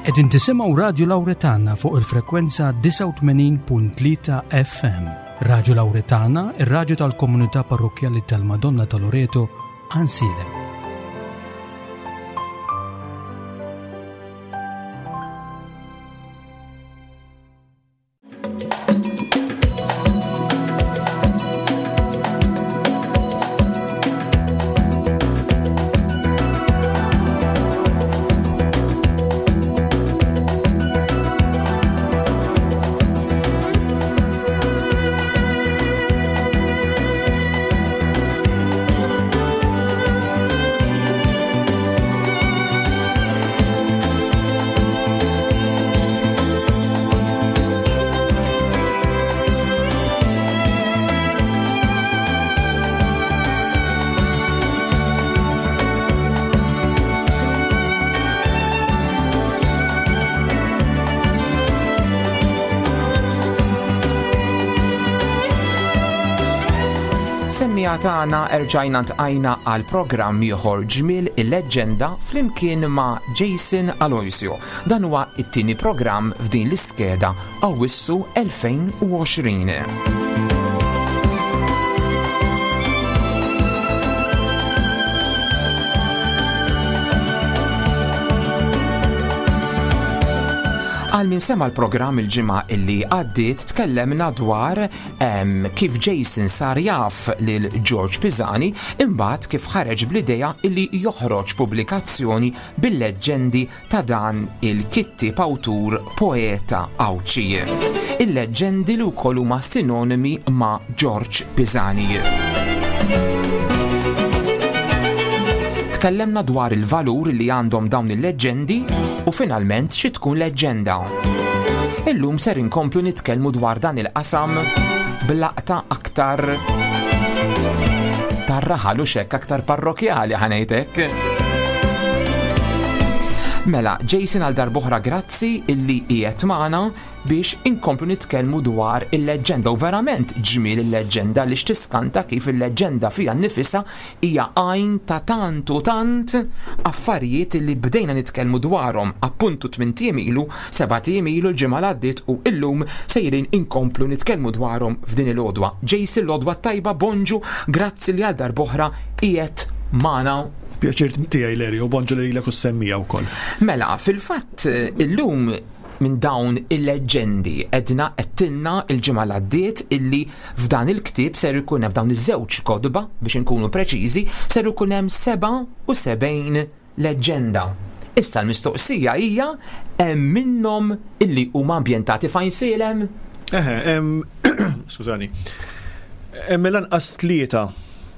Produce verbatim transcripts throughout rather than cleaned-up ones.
Qegħdin tisimgħu Radju Lawretana fuq il-frekwenza disgħa u tmenin punt tlieta F M. Radju Lawretana, ir-radju tal-komunità parrokkjali tal-Madonna ta' Loreto, Għajnsielem. Semmiegħa tagħna erġajna ntqajna għal programm ieħor Ġmiel il-Leġġenda flimkien ma' Jason Aloisio. Dan huwa t-tieni programm f'din l-iskeda Awwissu elfejn u għoxrin. Għal min sema l-programm il-ġimgħa illi għaddiet tkellemna dwar, em, kif Jason sar jaf lil George Pisani, imbagħad kif ħareġ bl-idea illi joħroġ pubblikazzjoni bil-leġġendi ta' dan il-kittieb awtur poeta Għawdxi. Il-leġġendi li wkoll huma sinonimi ma' George Pisani. Tkellemna dwar il-valur li għandhom dawn il-leġġendi u finalment xi tkun leġġenda. Illum ser inkomplu nitkellmu dwar dan il-qasam b'laqta aktar tar-raħal u xekk aktar parrokjali ħanejtek. Mela, Jason għal darb'oħra grazzi illi qiegħed magħna biex inkomplu nitkellmu dwar il-leġġenda u verament ġmiel il-leġġenda li x'tiskanta kif il-leġġenda fiha nnifisha hija għajn ta' tant u tant affarijiet li bdejna nitkellmu dwarhom appuntu tmien ijiem ilu, seba' ijiem ilu l-ġimgħa li għaddiet u illum sejrin inkomplu nitkellmu dwarhom f'din il-għodwa. Jason, l-għodwa tajba, bonġu, grazzi li għal darb'oħra qiegħed magħna. Pjaċir tiegħi Larry, u bonġu lilek u semmija wkoll. Mela, fil-fatt illum minn dawn il-leġġendi edna qedtilna il-ġimgħa li għaddiet illi f'dan il-ktieb ser ikun hemm f'dawn iż-żewġ kotba biex inkunu preċiżi ser ikun hemm seba' u sebgħin leġġenda. Issa l-mistoqsija hija hemm minnhom illi huma ambjentati f'Għajnsielem? Eħe, hemm skużani. Hemm mill-anqas tlieta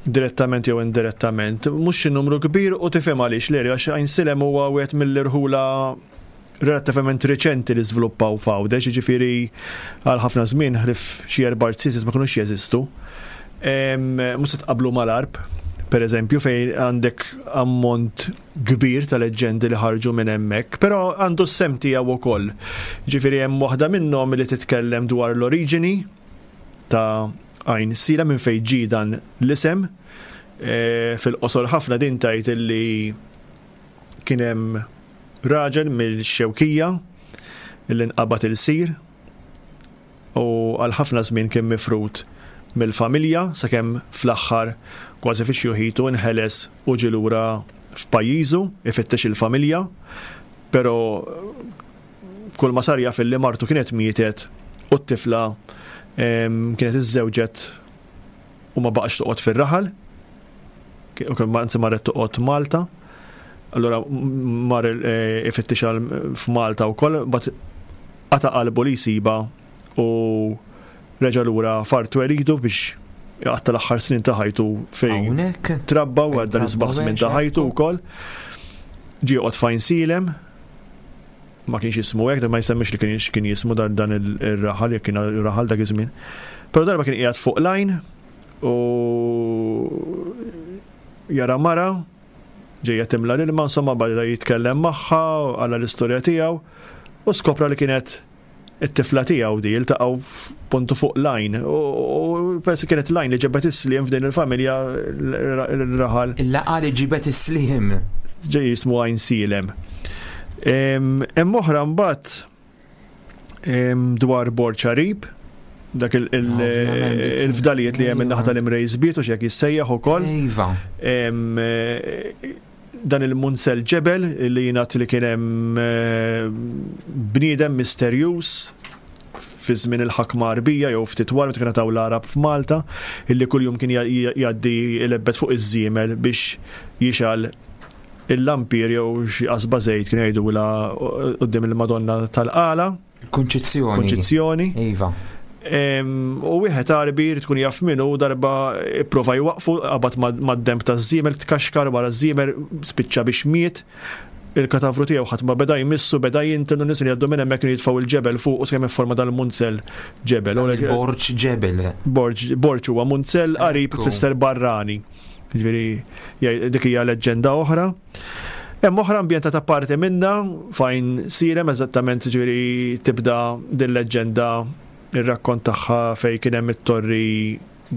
direttament jew indirettament, mhux xi numru kbir u tifhem għaliex Larry, għax Għajnsielem huwa wieħed mill-irħula relattivament reċenti li żviluppaw f'Għawdex, jiġifieri għal ħafna żmien ħlief xi erba' artisti ma kinux jeżistu. Em, mhux se tqablu mal-Għarb, per eżempju, fejn għandek ammont kbir ta' leġġendi li ħarġu minn hemmhekk, però għandu s-sem tiegħu wkoll. Jiġifieri hemm waħda minnhom li titkellem dwar l-oriġini ta' Għajnsielem minn fejn ġie dan l-isem. E, fil-qosor ħafna din tgħid illi kien hemm raġel mill-Xewkija illi nqabad il-sir u għal ħafna żmien kien mifrud mill-familja sakemm fl-aħħar kważi fi xjuħitu nħeles u ġie lura f'pajjiżu ifittex il-familja, però kull ma sar jaf illi martu kienet mietet u t-tifla, em, kienet iżżewġet u ma baqax toqgħod fir-raħal, u kien anzi marret toqgħod Malta. Allura mar, eh, ifittex għal f'Malta wkoll, bat qata' qalbu li jsiba u reġa' lura f'art twelidu biex jqatta' l-aħħar snin ta' ħajtu fejn Hawnhekk. trabba u Fejn għadda l-isbaħ trabba żmien ta' għex, ħajtu ekku. wkoll. Ġie joqgħod f'Għajnsielem, ma kienx jismu hekk, ma jsemmix li kien kien jismu dan, dan il-, ir-raħal, jekk kien raħal dak iż-żmien. Però darba kien qiegħed fuq lajn u jara mara ġejja timla l-ilma, insomma bada jitkellem magħha, għala l-istorja tiegħu u skopra li kienet it-tifla tiegħu di, iltaqgħu puntu fuq lajn. U, u persi kienet lajn li ġebet is-sliem f'din il-familja l-raħal. Il-laqa li ġibet is-sliem. Ġej jismu Għajnsielem. Hemm oħra mbagħad dwar Borġ Għarib, dak il-fdalijiet li hemm in-naħa tal-Imrejs Biet u x'hekk jissejjaħ ukoll. Iva. Dan il-Munzel Ġebel li jingħad li kien hemm bniedem misterjuż fi żmien il-ħakma Għarbija jew ftit wara meta kienu taw l-Għarab f'Malta, illi kuljum kien jgħaddi ilebbet fuq iż-żiemel biex jixgħel il-lampir jew xi qasba żejt kienu jgħidulha quddiem il-Madonna tal-Qala. Kunċizzjoni. Kunċizzjoni. Iva. U wieħed Għarbi jrid tkun jaf minnu darba ipprova jwaqfu, qabad mad-demb taż-żiemel, tkaxkar wara ż-żiemel, spiċċa biex miet. Il-katavru tiegħu ħadd ma beda jmissu, beda jinten u nies li jgħaddu minn hemmhekk kienu jitfgħu il-ġebel fuq u sakemm ifforma dal-munzel ġebel. Borġ ġebel. Borġ, Borġ huwa munzel, qarib tfisser barrani. Ġifieri dik hija leġġenda oħra. Hemm oħra ambjentata parti minna fejn sirem eżattament, ġifieri tibda din leġġenda, ir-rakkont tagħha fejn kien hemm it-torri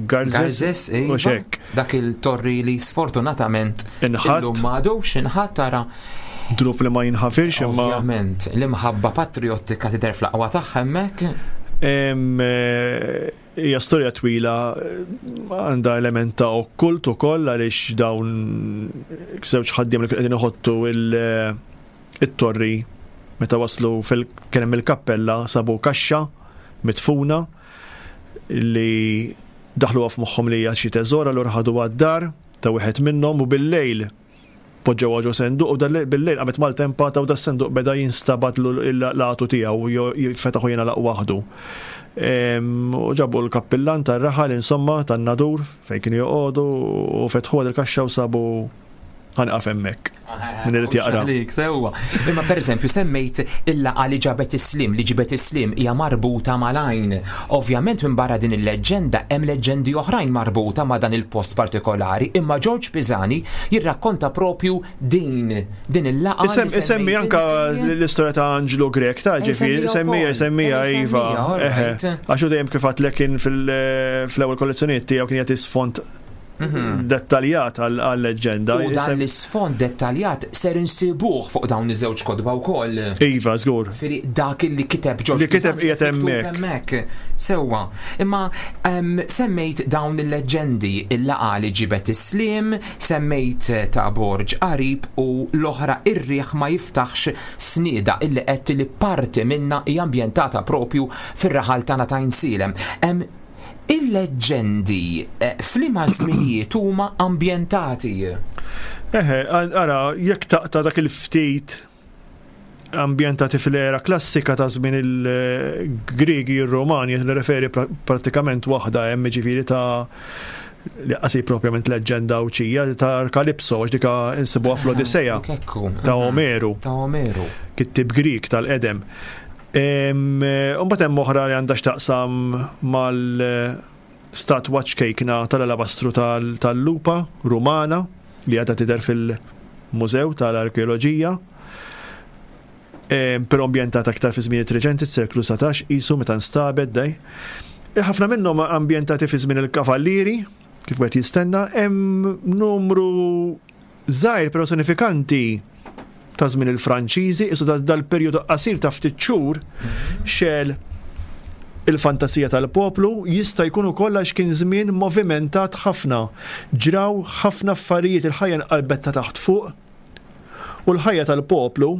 Garzes. Garzes, u iva. xek. Dak il-torri li sfortunatament Inħatt. illum m'għadux inħatt, tara. Drub li ma jinħafirx imma. Ovvjament, l-imħabba patriottika tidher fl-aqwa tagħha hemmhekk. Em, eh, Hija storja twila, eh, għandha element ta' okkult ukoll għaliex dawn żewġ ħaddiem li kienu qegħdin iħottu il- it-torri meta waslu fil kien hemm il-kappella sabu kaxxa midfuna li daħlu f'moħħhom li hija xi teżor, allura ħadu għad-dar ta' wieħed minnhom u bil-lejl poġġew ġo senduq u dal- bil-lejl qamet maltempata u das-senduq beda jinstabat l-għatu tiegħu, jifetaħu jingħalaq waħdu. Em, U ġabu l-kappillan tar-raħal, insomma tan-Nadur fejn kienu joqogħdu, u fetħu il-kaxxa u sabu, ħa nieqaf hemmhekk. Min irid jaqra. Għalik, sewwa. Imma per eżempju semmejt il-laqgħa li ġabet is-slim, li ġibet is-slim hija marbuta mal-għajn. Ovvjament minn barra din il-leġġenda hemm leġġendi oħrajn marbuta ma' dan il-post partikolari, imma George Pisani jirrakkonta propju din din il-laqgħa li Isem- Isemmi semmejt anka inti. l-istorja ta' Angelo Grek, ta' ġifieri, Isemmija semmija, wkoll. semmija, Eh, iva. semmija, all Eħe. right. Għax hu dejjem kif għedtlek kien fil- fl-ewwel kollezzjonijiet tiegħu kien jagħti sfond dettaljat għal-leġġenda. U dan l-isfond dettaljat ser insibuh fuq dawn iż-żewġ kotba wkoll. Iva, żgur. Ġifieri dak li kiteb George Li kiteb Pisani qiegħed miktub hemmhekk. hemmhekk. Sewwa. Imma em, semmejt dawn il-leġġendi, il-laqgħa li ġibet is-slim, semmejt ta' Borġ Qarib u l-oħra Ir-riħ ma jiftaħx snieda, illi qed li parti minna hija ambjentata propju fir-raħal tagħna ta' Għajnsielem. Em, Il-leġġendi eh, f'liema żminijiet huma ambjentati? Eħe, ara, jekk taqta' dak il-ftit ambjentati fil-era klassika ta' żmien il-Griegi, il-Romani, qed nirreferi pra- pratikament waħda hemm, ġifieri ta' li qasi propjament leġġenda Għawdxija ta' Kalipso, għax dika insibuha fl-Odisseja Dik ekku. ta' Mhm. Omeru, Ta' Omeru. kittib Grik tal-qedem. Imbagħad hemm oħra li għandha x'taqsam mal-statwa ċkejkna tal-alabastru tal- tal-lupa Rumana li għadha tidher fil-Mużew tal-Arkeoloġija. Em, Però ambjentata aktar fi żmien reċenti, seklu satax, isu meta nstabet dej. E, Ħafna minnhom ambjentati fi żmien il-kavallieri, kif wieħed jistenna, hemm numru żgħir però sinifikanti ta' żmien il-Franċiżi, isu da- dal-perjodu qasir ta' ftit xhur xegħel il-fantasija tal-poplu, jista' jkun ukoll għax kien żmien movimentat ħafna. Ġraw ħafna affarijiet, il-ħajja nqalbet ta' taħt fuq u l-ħajja tal-poplu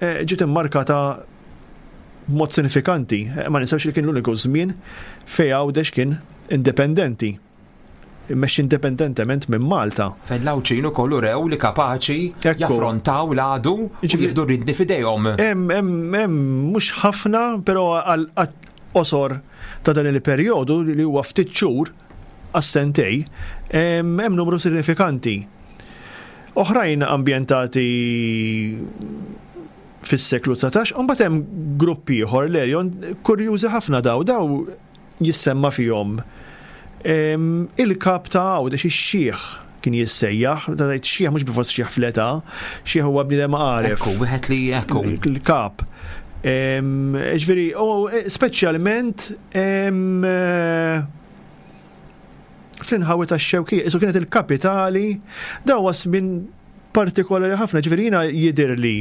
eh, ġiet immarkata b'mod sinifikanti. Eh, Ma ninsewx li kien l-uniku żmien fejn Għawdex kien indipendenti. Immexxi indipendentement minn Malta. Fejn l-Għawdxin ukoll urew li kapaċi Ekku. jaffrontaw l-għadu u Jiġifieri- jieħdu r-riedni f'idejhom. Hemm hemm hemm mhux ħafna, però għal qosor ta' dan il-perjodu li huwa ftit xhur għas-sentej, hemm hemm numru sinifikanti. Oħrajn ambjentati fis-seklu dsatax, u mbagħad hemm grupp ieħor, Lerion, kurjużi ħafna daw, daw jissemma fihom Em, il-kap ta' Għawdex, ix-xiħ kien jissejjaħ, ta' tgħid xieħ mhux bifors xieħ fl-età, xieħ huwa bniedem għaref. Ekku, wieħed li ekku. Il-kap. Em, Ġifieri, u speċjalment em, eh, fl-inħawi ta' Xewkija, isu kienet il-kapitali, daw minn partikolari ħafna, ġifieri jiena jidirli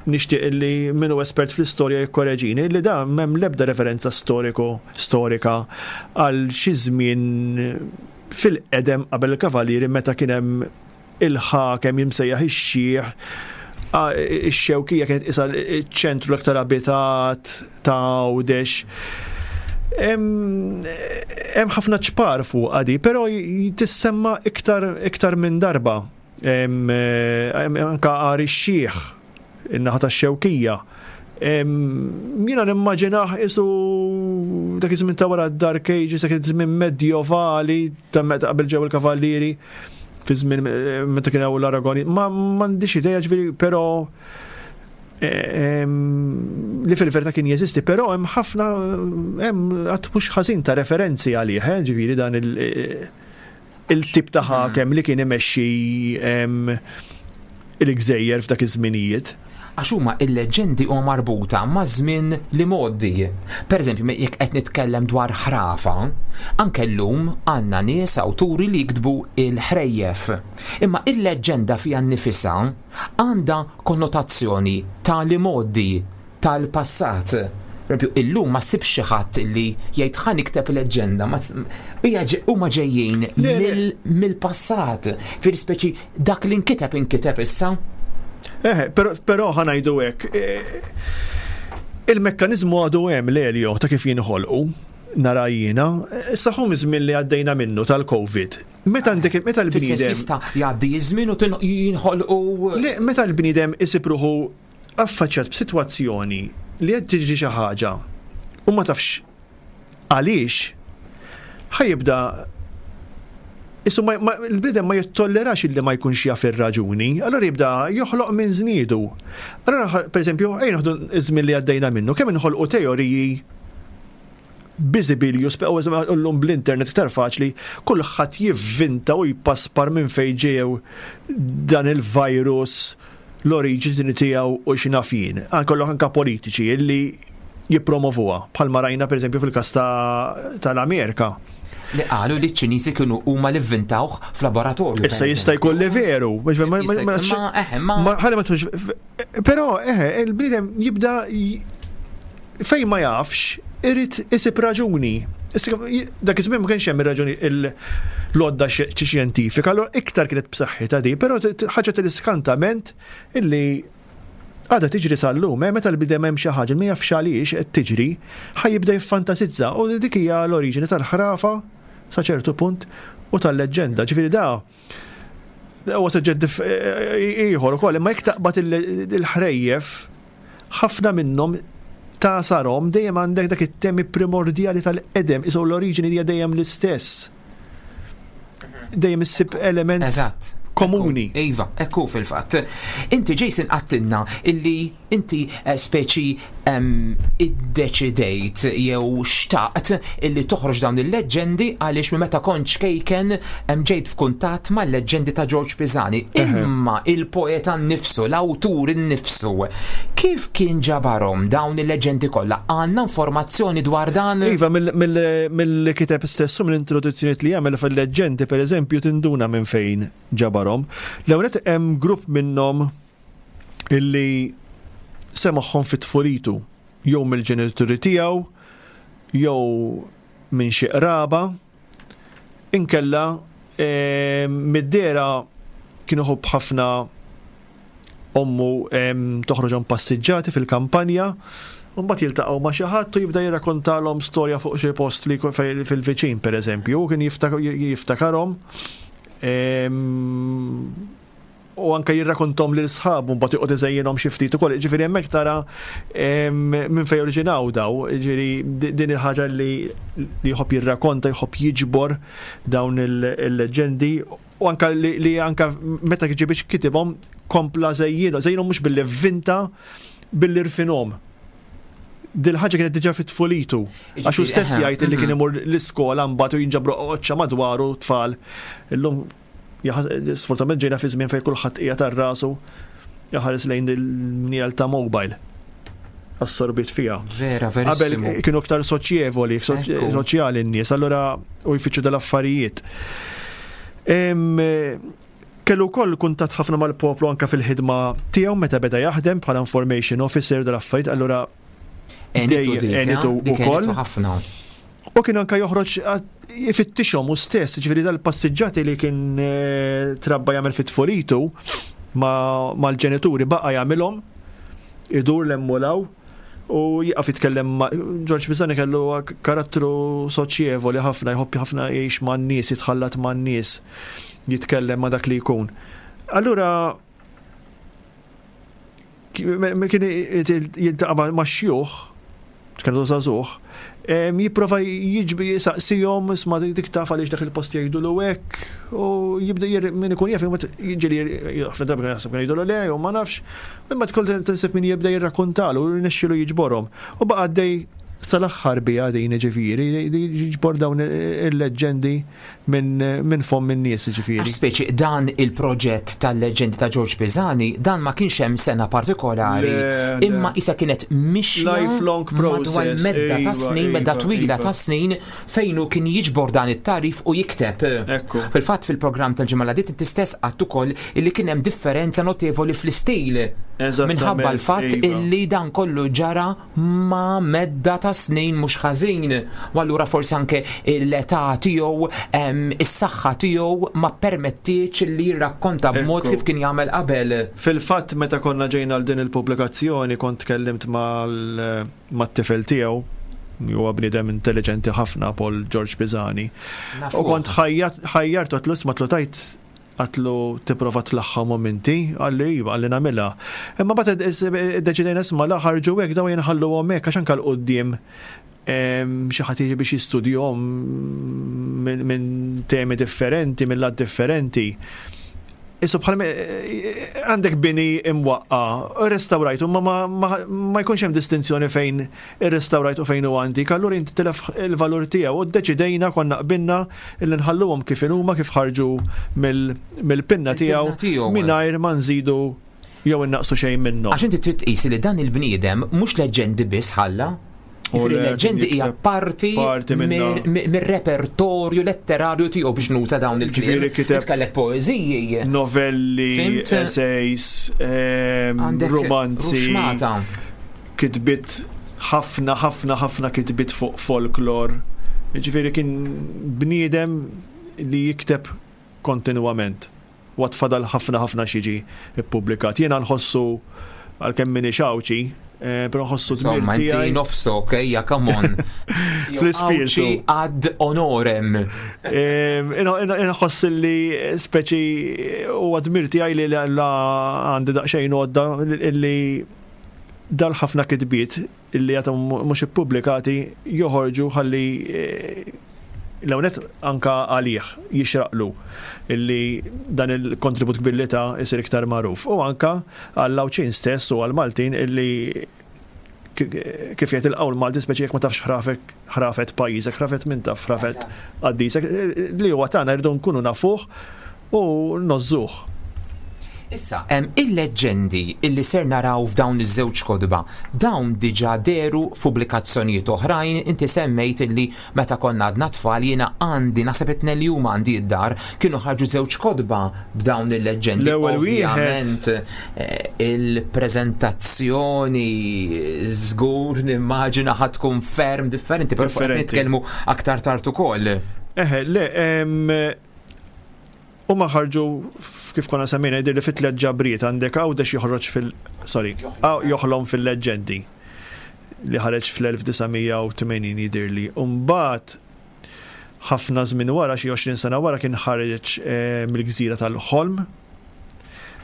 Nixtieq li min hu espert fl-istorja jikkoreġini li da m'hemm l-ebda referenza storiku storika għal xi żmien fil-qedem qabel il-Kavallieri meta kien hemm il-ħakem jimsejjaħ ix-Xiħ. Ix-Xewkija kienet isa ċ-ċentru l-aktar abitat ta' Għawdex. Hemm ħafna ċpar fuq għadi, però tissemma iktar iktar minn darba. Anka Għar ix-Xiħ, in-naħa tax-Xewkija. Jiena nimmaġinah isu dak iż-żmien ta' wara d-Dark Ages, dak iż-żmien medjovali ta' meta qabel ġew il-Kavallieri, fi żmien meta kien hawn l-Aragoni. Ma m'għandix idea, ġifieri, però li fil-verità kien jeżisti, però hemm ħafna, hemm għadd mhux ħażin ta' referenzi għalih, eh, ġifieri dan il-tip ta' ħakem li kien imexxi il-gżejjer f'dak iż-żminijiet. Għax huma il-leġendi huma marbuta ma' żmien li mgħoddi. Per eżempju, jekk qed nitkellem dwar ħrafa, anke llum għandna nies awturi li jiktbu il-ħrejjef. Imma il-leġenda fiha nnifisha għandha konnotazzjoni ta' li mgħoddi, tal-passat. Per eżempju, illum ma ssibx xi ħadd li jgħid ħa nikteb leġenda, huma ġejjin mill-passat. Fil-speċi dak li nkiteb inkiteb issa. Eh, però ħa ngħidu hekk, il-mekkanizmu għadu hemm, Lelio, ta' kif jinħolqu, nara jiena, issa ħum iż-żmien li għaddejna minnu tal-Covid. Meta għandek meta l-bniedem jista' jgħaddi iż-żmien u jinħolqu. Le, meta l-bniedem isib ruħu affaċċjat b'sitwazzjoni li qed tiġri xi ħaġa u ma tafx għaliex, ħa jibda Isu il-bniedem ma jittollerax illi ma jkunx jaf ir-raġuni, allora jibda joħloq minn żniedu. Allora, per eżempju, ejja noħdu iż-żmien li għaddejna minnu, kemm inħolqu teoriji biżibilju, llum bl-internet iktar faċli, kulħadd jivvinta u jpaspar minn fejn ġew dan il-virus, l-oriġini tiegħu u x'naf jien. Anke anka politiċi illi jippromovuha, bħalma rajna per eżempju fil-każ tal-Amerika. Li qalu li ċ-Ċiniżi kienu huma li vvintawh f'laboratorju. Issa jista' jkun li veru. Ma tux. Però eħe, il-bniedem jibda fejn ma jafx irid isib raġuni. Dak iż-żmien ma kienx hemm ir-raġuni l-għodda xjentifika, allura iktar kienet b'saħħitha di, però ħaġa tal-iskantament illi għadha tiġri sal-lum, eh, meta l-bidem hemm xi ħaġa ma jafx għaliex qed tiġri, ħa jibda jiffantasizza u dik hija l-oriġini tal-ħrafa sa ċertu punt u tal-leġġenda. Ġifieri da huwa suġġett ieħor ukoll, imma jekk taqbad il-ħrejjef ħafna minnhom ta' sarhom dejjem għandek dak it-temi primordjali tal-qedem, isu l-oriġini hija dejjem l-istess. Dejjem issib element Eżatt. komuni. Iva, ekku fil-fatt. Inti, Jason, għedtilna illi inti speċi iddeċidejt jew xtaqt illi toħroġ dawn il-leġendi għaliex minn meta kont ċkejken ġejt f'kuntatt mal-leġendi ta' George Pisani. Imma il-poeta nnifsu, l-awtur innifsu, kif kien ġabarhom dawn il-leġendi kollha? Għandna informazzjoni dwar dan? Iva, mill-kiteb stessu, mill-introduzzjoni li jagħmel fil-leġendi, per eżempju, tinduna minn fejn ġabarhom. L-ewwel hemm grupp minnhom illi semagħhom fit-tfulitu, jew mill-ġenituri tiegħu, jew minn xi qraba, inkella mid-dera kienu ħobb ħafna ommu toħroġhom passiġġati fil-kampanja, u mbagħad jiltaqgħu ma' xi ħadd u jibda jirrakkontalhom storja fuq xi post li fil-viċin pereżempju, u kien jiftakarhom u anka jirrakontom lil sħabu mbagħad joqgħod iżejjinhom xi ftit ukoll. Ġifieri hemmhekk tara minn fejn oriġinaw daw, ġifieri din il-ħaġa li jħobb jirrakonta, jħobb jiġbor dawn il-leġendi u anka li anka meta ġie biex kitibhom kompla żejjinhom, żejjinhom mhux billi vvinta, billi rfinhom. Dil-ħaġa kienet diġà fit-tfulitu. Għax hu stess jgħid li kien imur l-iskola mbagħad u jinġabru qoċċa madwaru tfal. Illum sfortunatament ġejna fi żmien fejn kulħadd qiegħed tar rasu jaħares lejn il-mniel ta' mobile. Assorbit fiha. Vera, verissimo. Qabel kienu aktar soċjevoli, soċjali n-nies, allura u jfittxu dal-affarijiet. Kellu wkoll kuntatt ħafna mal-poplu anka fil-ħidma tiegħu meta beda jaħdem bħala information officer dal-affarijiet, allura għenitu ukoll. Ħafna. U kien anka joħroġ ifittixhom hu stess, ġifieri dal-passiġġati li kien eh, trabba jagħmel fit-tfulitu mal-ġenituri baqa' jagħmilhom, idur l-emmulaw u jieqaf jitkellem ma' Ġorġ Pisani. Kellu karattru soċjevoli ħafna, jħobb ħafna jgħix man-nies, jitħallat man-nies, jitkellem ma' dak li jkun. Allura kien jiltaqa' ma' xjuħ, kienu żagħżugħ, jipprova jiġbi jisaqsihom, "Isma', dik taf għaliex dak il-post jgħidulu hekk?" U jibda min ikun jaf, jiġri ħafna drabi jaħseb kien jgħidulu le jew ma nafx, imma tkun tinsib min jibda jirrakkontalu u jirnexxielu jiġborhom. U baqa' għaddej sal-aħħar bija din, ġifieri, jiġbor dawn il-leġġendi minn fomm in-nies, ġifieri. Speċi dan il-proġett tal-leġendi ta' George Pisani, dan ma kienx hemm sena partikolari, imma isa kienet mixja lifelong process. Medda ta' snin, medda twila ta' snin fejn hu kien jiġbor dan it-tagħrif u jikteb. Fil-fatt, fil-programm tal-ġimgħa li inti stess għedt ukoll illi kien hemm differenza notevoli fl-istil. Minħabba l-fatt illi dan kollu ġara ma' medda ta' snin mhux ħażin. U allura forsi anke l-età tiegħu, is-saħħa tiegħu ma permettiex li jirrakkonta b'mod kif kien jagħmel qabel. Fil-fatt, meta konna ġejna għal din il-pubblikazzjoni, kont tkellimt mal-tifel tiegħu, huwa bniedem intelligenti ħafna, Paul George Pisani. U kont ħajjartu, għedtlu, "Isma'," għedtlu, għedtlu, "tipprova tlaħħamhom inti?" Qalli, "Iva," qalli, "nagħmilha." Imma mbagħad iddeċidejna, isma', la ħarġu hekk daw jinħallu hekk, għax anke 'l quddiem xi ħadd jiġi biex jistudjahom minn temi differenti, minn lat differenti. Isu bħal għandek bini imwaqqa, restaurajtu, ma, ma, ma jkunx hemm distinzjoni fejn irrestawrajt u fejn u antik, allura inti tilef il-valur tiegħu, u ddeċidejna, konna qbilna illi nħalluhom kif huma, kif ħarġu mill-pinna tiegħu, mingħajr ma nżidu jew innaqsu xejn minnhom. Għax inti trid tqis li dan il-bniedem mhux leġendi biss ħalla. Il-leġendi hija parti mir-repertorju letterarju tiegħu, biex nuża dawn il-kliem. Kellek poeżiji. Novelli, essays, romanzi. Kitbiet ħafna, ħafna, ħafna kitbiet fuq folklor. Ġifieri kien bniedem li jikteb kontinuament. U fadal ħafna ħafna x'jiġi ippubblikat. Jiena nħossu, għalkemm m'iniex Għawdxi, Eh, però nħossu dmir tiegħi. Nofsok, ejja, come on. Fl-ispirtu. Ad honorem. Inħoss li speċi u dmir tiegħi li la għandi daqsxejn għodda li dal-ħafna kitbiet illi għadhom mhux ippubblikati joħorġu, ħalli eh, l-għonet anka għalih jixraqlu illi dan il-kontribut kbir li ta isir iktar magħruf. U anka għall-Għawdxin stess u għall-Maltin illi kif jgħid il-qawl Malti, speċi jekk ma tafx ħrafek ħrafet pajjiżek, ħrafet min taf ħrafet qaddisek, li huwa tagħna rridu nkunu nafuh u ngħożżuh. Issa, il-leġendi illi ser naraw f'dawn iż-żewġ kotba, dawn diġà dehru f'pubblikazzjonijiet oħrajn? Inti semmejt illi meta konna għadna tfal, jiena għandi, naħseb it li huma għandi id-dar, kienu ħarġu żewġ kotba b'dawn il-leġendi. L-ewwel Ovvjament eh, il-preżentazzjoni żgur nimmaġina ħa tkun ferm differenti, però fuq nitkellmu aktar tard ukoll. Eħe, le, u ma ħarġu, kif konna semmejna, jidher li fit tliet ġabriet. Għandek Għawdex joħroġ fil sorry, Joħlom fil-leġġendi, li ħareġ fl-elf disa' mija u tmenin jidirli. Umbagħad ħafna żmien wara, xi għoxrin sena wara, kien ħareġ eh, Mill-Gżira tal-Ħolm,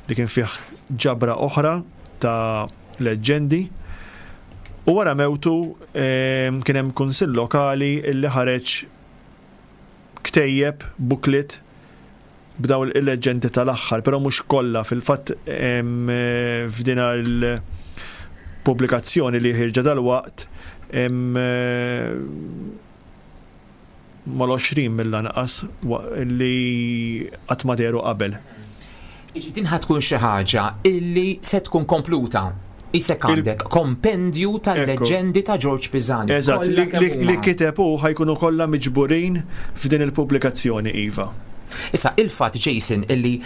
li kien fih ġabra oħra ta' leġġendi. U wara mewtu eh, kien hemm kunsill lokali li ħareġ ktejjeb, booklet, b'daw il-leġendi tal-aħħar, però mhux kollha. Fil-fatt, f'dina il-pubblikazzjoni li ħierġa dal-waqt mal-għoxrin mill-anqas li qatt ma dehru qabel. Din ħa tkun xi ħaġa illi se tkun kompluta. Isek għandek kompendju tal-leġendi ta' George Pisani. Eżatt, li kiteb u ħa jkunu kollha miġburin f'din il-pubblikazzjoni, iva. Issa, il-fatt, Jason, illi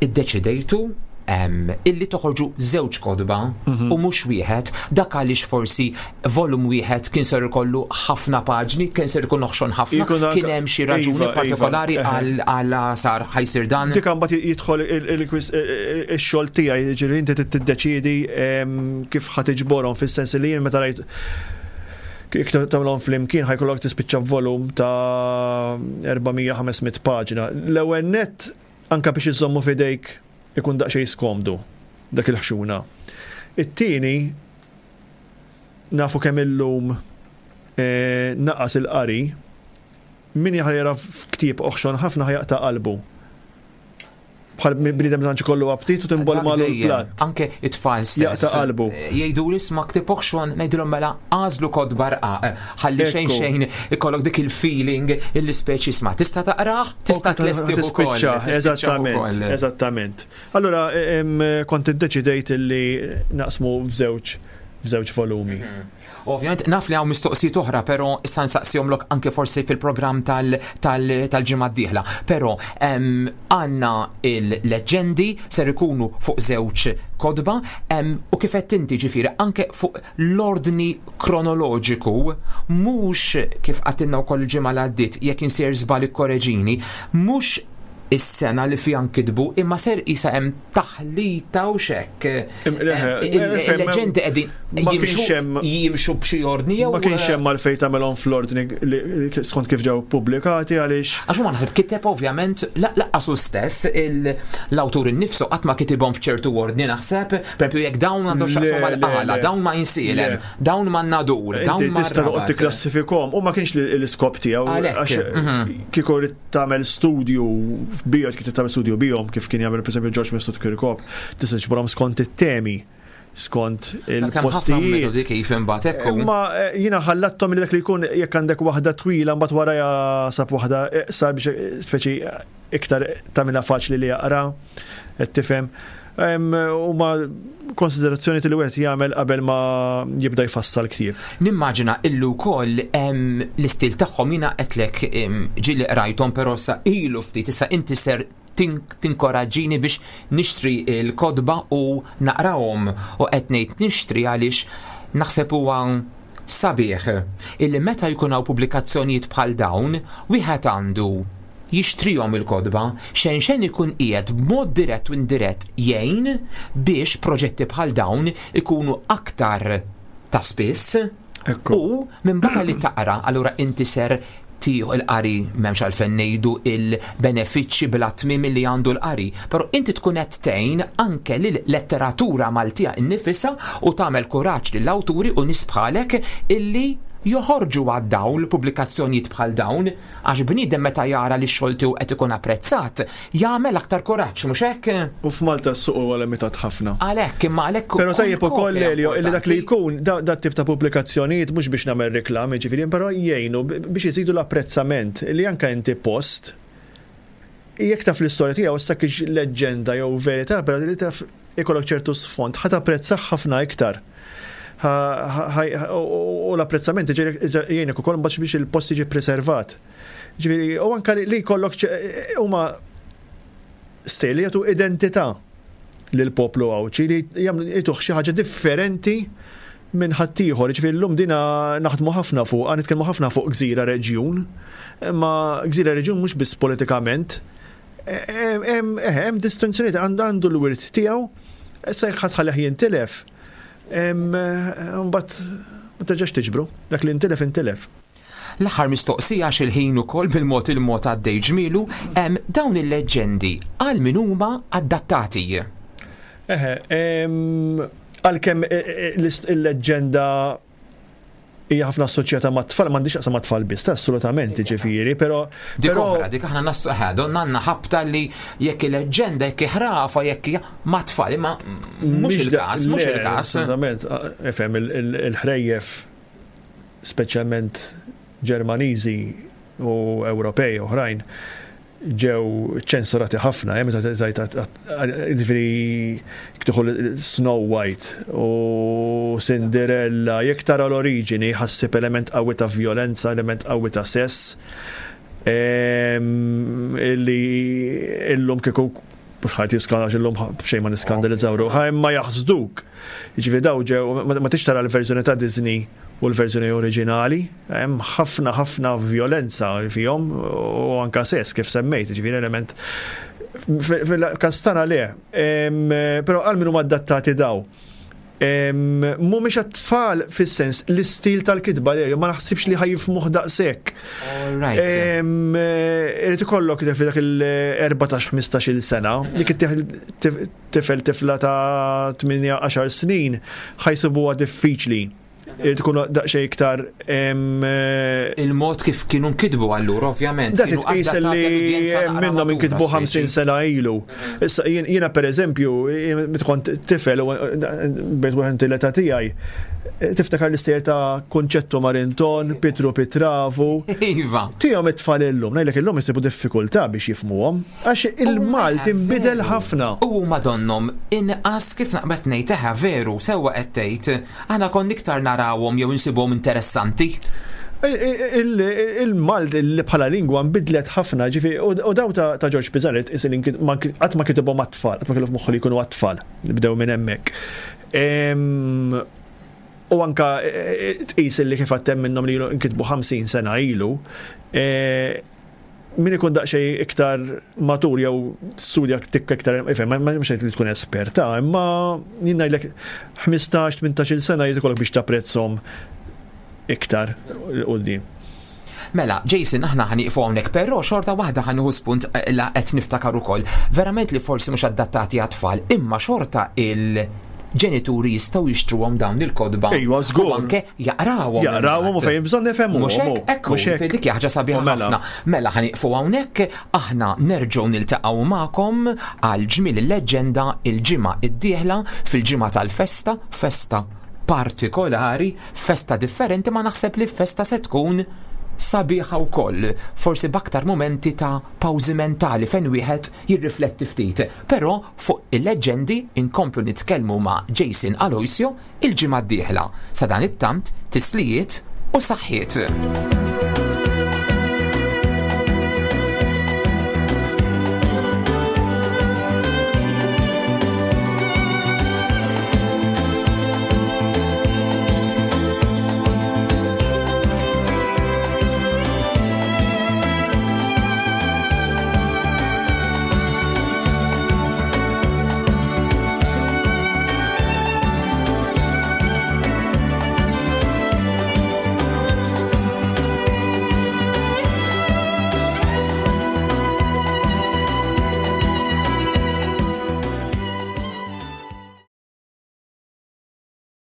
iddeċidejtu illi toħorġu żewġ kotba mhm. u mhux wieħed, dak għaliex forsi volum wieħed kien ser ikollu ħafna paġni, kien ser ikun oħxon ħafna, kien hemm xi raġuni iva, iva, partikolari għal sar ħa jsir dan. Dik mbagħad jidħol ix-xogħol tiegħi, ġifieri inti tiddeċiedi kif ħa tiġborhom, fis-sens li jien meta rajt jekk tagħmilhom flimkien ħa jkollok tispiċċa volum ta' erba' mija ħames mitt paġna. L-ewwel net, anka biex iżommu f'idejk ikun daqsxejn skomdu dak il-ħxuna. It-tieni, nafu kemm illum eh, naqas il-qari, min jaħar jara f'ktieb oħxon ħafna ħa jaqta' qalbu. Bħal bniedem tantx kollu aptit u timbol malu l-platt. Anke it-tfal stess. Jaqta' qalbu. Jgħidu li isma' ktieb oħxon, ngħidulhom mela għażlu kotba rqaq. Ħalli xejn xejn ikollok dik il-feeling illi speċi isma' tista' taqrah, tista' tlesti ukoll. Eżattament, eżattament. Allura kont iddeċidejt illi naqsmu f'żewġ f'żewġ volumi. Mhm. Ovvjament naf li hawn mistoqsijiet oħra, però issa nsaqsihomlok anke forsi fil-programm tal-ġimgħa d-dieħla. Però għandna il-leġendi ser ikunu fuq żewġ kotba u kif qed inti, ġifieri anke fuq l-ordni kronoloġiku, mhux kif għedtilna wkoll il-ġimgħa li għaddiet, jekk insir żball ikkoreġini, mhux is-sena li fiha nkitbu, imma ser isa hemm taħlita u xek. Il-leġendi qegħdin jimxu b'xi ordni jew. Ma kienx hemm għalfejn tagħmelhom fl-ordni skont kif ġew pubblikati għaliex. Għax huma naħseb kiteb ovvjament lanqas stess l-awtur innifsu qatt ma kitibhom f'ċertu ordni naħseb, pereżempju jekk dawn għandhom x'jaqsmu mal-Qala, dawn ma' Għajnsielem, dawn ma' Nadur, dawn ma' Tista' toqgħod tikklassifikhom u ma kienx l-iskop tiegħu għax mhm. kieku tagħmel studju bihom, kif tagħmel studju bihom kif kien jagħmel pereżempju George Mifsud Kirkop, tista' tiġborhom skont it-temi, skont il-postijiet. Kif imbagħad ekku. Ma eh, jiena ħallattom li dak li jkun jekk għandek waħda twila mbagħad wara sab waħda sar biex speċi iktar tagħmilha faċli li jaqra, qed tifhem. Huma konsiderazzjoni li wieħed jagħmel qabel ma jibda jfassal ktieb. Nimmaġina illu wkoll l-istil tagħhom, jiena qedlek ġieli qrajthom, però sa ilu ftit, issa inti ser tinkoraġġini biex nixtri l-kotba u naqrawhom, u qed ngħid nixtri għaliex naħseb huwa sabiħ illi meta jkun hawn pubblikazzjonijiet bħal dawn wieħed għandu jixtrihom il-kotba, xejn xejn ikun qiegħed b'mod dirett u indirett jgħin biex proġetti bħal dawn ikunu aktar ta' spiss. U minn barra li taqra, allura inti ser tieħu il-qari, m'hemmx għalfejn ngħidu il-benefiċċji bla tmiem li għandu l-qari, però inti tkun qed tgħin anke lil letteratura Maltija innifisha u tagħmel kuraġġ lill-awturi u nies bħalek illi joħorġu għad-dawl pubblikazzjonijiet bħal dawn, għax bniedem meta jara li x-xogħol tiegħu qed ikun apprezzat jagħmel aktar kuraġġ, mhux hekk? U f'Malta s-suq huwa limitat ħafna. Għalhekk, imma għalhekk. Però tajjeb ukoll, Elio, li dak li jkun da tip ta' pubblikazzjonijiet, mhux biex nagħmel reklam, ġifieri, però jgħinu biex iżidu l-apprezzament li anke inti post jekk taf l-istorja tiegħu, issa kienx leġġenda jew verità, però li taf ikollok ċertu sfond, ħa tapprezzah ħafna iktar. U l-apprezzament jgħinek ukoll mbagħad biex il-post jiġi preservat. Ġifieri, u anke li jkollok huma stejjer li jagħtu identità lill-poplu Għawdxi, li jagħtuh xi ħaġa differenti minn ħaddieħor. Ġifieri llum dina naħdmu ħafna fuq, nitkellmu ħafna fuq gżira reġjun, imma gżira reġjun mhux biss politikament, hemm distinzjoni, għandu l-wirt tiegħu, issa jekk ħa tħallih jintilef, mbagħad ma terġax tiġbru, dak li intilef intilef. L-aħħar mistoqsija, x'il-ħin ukoll bil-mod il-mod għaddej ġmielu, dawn il-leġġendi għal min huma adattati? Eħe, għalkemm e, e, il-leġġenda hija ħafna assoċjata ma' tfal, m'għandix aqsam ma' tfal biss, assolutament, ġifieri, però. Dik oħra, dik aħna nassu donna għandna ħabta li jekk il-leġġenda, jekk ħrafa, jekk ma' tfal, imma mhux il-każ, mhux il-każ. Assolutament, ifhem, il-ħrejjef speċjalment Ġermaniżi u Ewropej oħrajn ġew ċensurati ħafna, eh, meta tajt ġifieri tieħu Snow White u Cinderella, jekk tara l-oriġini ħa ssib element qawwi ta' violenza, element qawwi ta' sess. Em, Illi illum kieku mhux ħajt jiskana illum b'xejn ma niskandalizzaw ruħha, imma jaħsduk. Jiġifieri daw ġew ma ma tix tara l-verżjoni ta' Disney u l-verżjoni oriġinali, hemm ħafna ħafna violenza fihom u anka sess kif semmejt, jiġifieri element fil-kastana le, Em, però għal min huma adattati daw. Em, Mhumiex għat-tfal fis-sens l-istil tal-kitba li ma naħsibx li ħa jifhmuh daqshekk. All right. Em, eh, Irid ikollok fi dak il-erbatax ħmistax-il sena, dik it tifel tifla ta' tmienja għaxar snin ħa jsibuha diffiċli. Irid ikunu daqsxejn iktar em, eh, Il-mod kif kienu nkitbu allura, ovvjament. Da kienu titqis adattati li għall-udjenza naqra minnhom matura, inkitbu speċi. ħamsin sena ilu. Issa jien- jiena per eżempju, jien meta kont tifel u bejt wieħed l-età tiegħi, tiftakar l-istejjer ta' Kunċettu Marinton, Pitru Pitravu. Iva. Tihom it-tfal illum, ngħidlek illum jsibu diffikultà biex jifhmuhom, għax il-Malti nbidel ħafna. U madonnom, inqas kif naqbad ngħid eħe veru, sewwa qed tgħid, aħna konna iktar narawhom jew insibuhom interessanti. Il-Malti li bħala lingwa nbidlet ħafna, ġifi, u u daw ta' ta' George Pisani, qatt ma kitibhom għat-tfal, qatt ma kellu f'moħħu li jkunu għat-tfal, nibdew minn hemmhekk. Em, U anka eh, tqis li kif għattem minnhom li nkitbu ħamsin sena ilu, eh, min ikun daqsxejn iktar matur jew studja tikka iktar, ifhem, ma ma mhux li tkun esperta, imma jien ngħidlek ħmistax tmintax-il sena jrid ikollok biex tapprezzhom iktar quddiem. Mela, Jason, aħna ħa nieqfu hawnhekk, però xorta waħda ħa nieħu spunt eh, la qed niftakar ukoll. Verament li forsi mhux adattati għat-tfal, imma xorta il-ġenituri jistgħu jixtruhom dawn il-kotba. Ejwa, żgur. U anke jaqrawhom. Jaqrawhom u fejn bżonn nifhmu. Mhux hekk, ekku, Mhux hekk. dik hija ħaġa sabiħa U mela. ħafna. Mela ħa nieqfu hawnhekk, aħna nerġgħu niltaqgħu magħkom għal ġmiel il-leġġenda il-ġimgħa id-dieħla fil-ġimgħa tal-festa, festa partikolari, festa differenti ma naħseb li festa se tkun sabiħa wkoll, forsi b'aktar momenti ta' pawżi mentali fejn wieħed jirrifletti ftit. Però fuq il-leġġendi inkomplu nitkellmu ma' Jason Aloisio il-ġimgħa d-dieħla. Sa dan it-tant tislijiet u saħħiet.